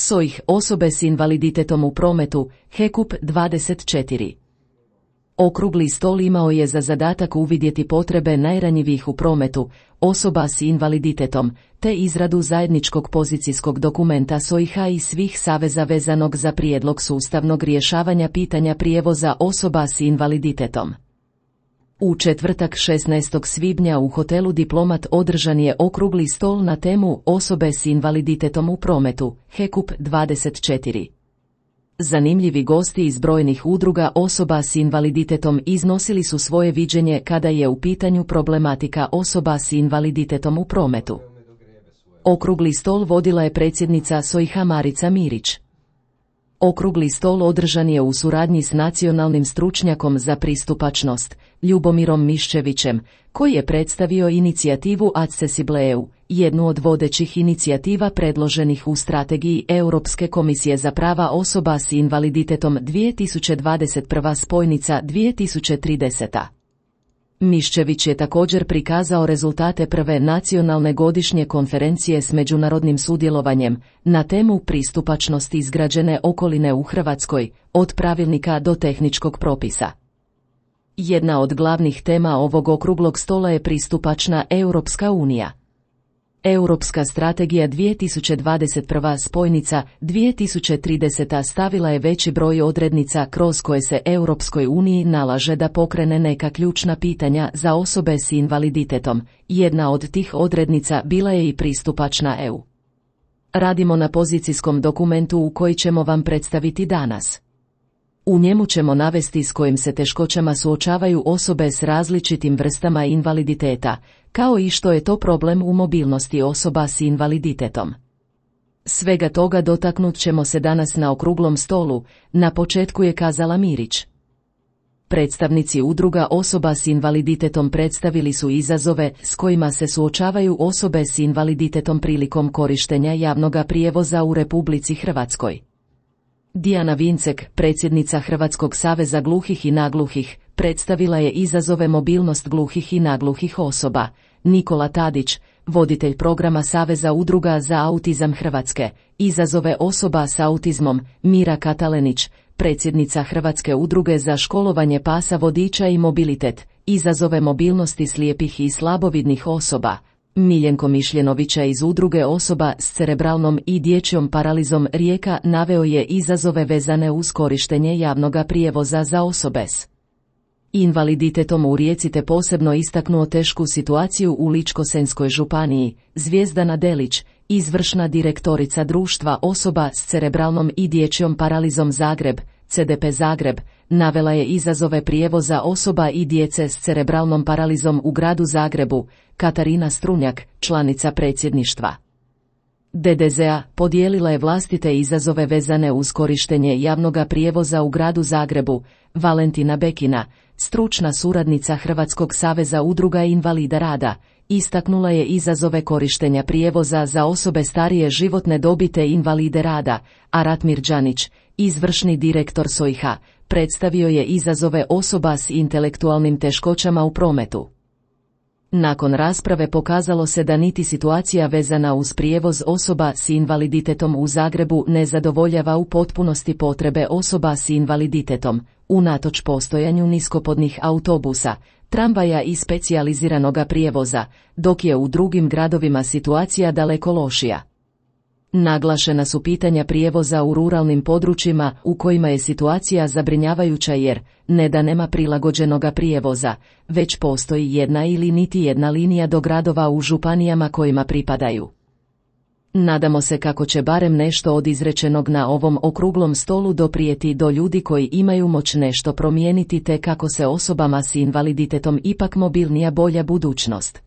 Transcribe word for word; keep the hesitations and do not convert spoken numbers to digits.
S O I H osobe s invaliditetom u prometu, H E K U P dvadeset četiri. Okrugli stol imao je za zadatak uvidjeti potrebe najranjivijih u prometu, osoba s invaliditetom, te izradu zajedničkog pozicijskog dokumenta S O I H-a i svih saveza vezanog za prijedlog sustavnog rješavanja pitanja prijevoza osoba s invaliditetom. U četvrtak šesnaestog svibnja u hotelu Diplomat održan je okrugli stol na temu osobe s invaliditetom u prometu, H E K U P dvadeset četiri. Zanimljivi gosti iz brojnih udruga osoba s invaliditetom iznosili su svoje viđenje kada je u pitanju problematika osoba s invaliditetom u prometu. Okrugli stol vodila je predsjednica S O I H-a Marica Mirić. Okrugli stol održan je u suradnji s nacionalnim stručnjakom za pristupačnost, Ljubomirom Miščevićem, koji je predstavio inicijativu Accessible E U, jednu od vodećih inicijativa predloženih u strategiji Europske komisije za prava osoba s invaliditetom dvije tisuće dvadeset prva spojnica dvije tisuće trideseta. Miščević je također prikazao rezultate prve nacionalne godišnje konferencije s međunarodnim sudjelovanjem na temu pristupačnosti izgrađene okoline u Hrvatskoj, od pravilnika do tehničkog propisa. Jedna od glavnih tema ovog okruglog stola je pristupačna Europska unija. Europska strategija dvije tisuće dvadeset prva spojnica dvije tisuće trideseta stavila je veći broj odrednica kroz koje se Europskoj uniji nalaže da pokrene neka ključna pitanja za osobe s invaliditetom. Jedna od tih odrednica bila je i pristupačna E U. Radimo na pozicijskom dokumentu u koji ćemo vam predstaviti danas. U njemu ćemo navesti s kojim se teškoćama suočavaju osobe s različitim vrstama invaliditeta, kao i što je to problem u mobilnosti osoba s invaliditetom. Svega toga dotaknut ćemo se danas na okruglom stolu, na početku je kazala Mirić. Predstavnici udruga osoba s invaliditetom predstavili su izazove s kojima se suočavaju osobe s invaliditetom prilikom korištenja javnoga prijevoza u Republici Hrvatskoj. Dijana Vincek, predsjednica Hrvatskog saveza gluhih i nagluhih, predstavila je izazove mobilnost gluhih i nagluhih osoba. Nikola Tadić, voditelj programa Saveza udruga za autizam Hrvatske, izazove osoba s autizmom. Mira Katalenić, predsjednica Hrvatske udruge za školovanje pasa vodiča i mobilitet, izazove mobilnosti slijepih i slabovidnih osoba. Miljenko Mišljenovića iz udruge osoba s cerebralnom i dječjom paralizom Rijeka naveo je izazove vezane uz korištenje javnoga prijevoza za osobe s invaliditetom u Rijeci te posebno istaknuo tešku situaciju u Ličko-senjskoj županiji. Zvjezdana Delić, izvršna direktorica društva osoba s cerebralnom i dječjom paralizom Zagreb, C D P Zagreb, navela je izazove prijevoza osoba i djece s cerebralnom paralizom u gradu Zagrebu. Katarina Strunjak, članica predsjedništva D D Z-a, podijelila je vlastite izazove vezane uz korištenje javnoga prijevoza u gradu Zagrebu. Valentina Bekina, stručna suradnica Hrvatskog saveza udruga invalida rada, istaknula je izazove korištenja prijevoza za osobe starije životne dobi te invalide rada, a Ratmir Đanić, izvršni direktor S O I H-a, predstavio je izazove osoba s intelektualnim teškoćama u prometu. Nakon rasprave pokazalo se da niti situacija vezana uz prijevoz osoba s invaliditetom u Zagrebu ne zadovoljava u potpunosti potrebe osoba s invaliditetom, unatoč postojanju niskopodnih autobusa, tramvaja i specijaliziranoga prijevoza, dok je u drugim gradovima situacija daleko lošija. Naglašena su pitanja prijevoza u ruralnim područjima u kojima je situacija zabrinjavajuća jer, ne da nema prilagođenoga prijevoza, već postoji jedna ili niti jedna linija do gradova u županijama kojima pripadaju. Nadamo se kako će barem nešto od izrečenog na ovom okruglom stolu doprijeti do ljudi koji imaju moć nešto promijeniti te kako se osobama s invaliditetom ipak mobilnija bolja budućnost.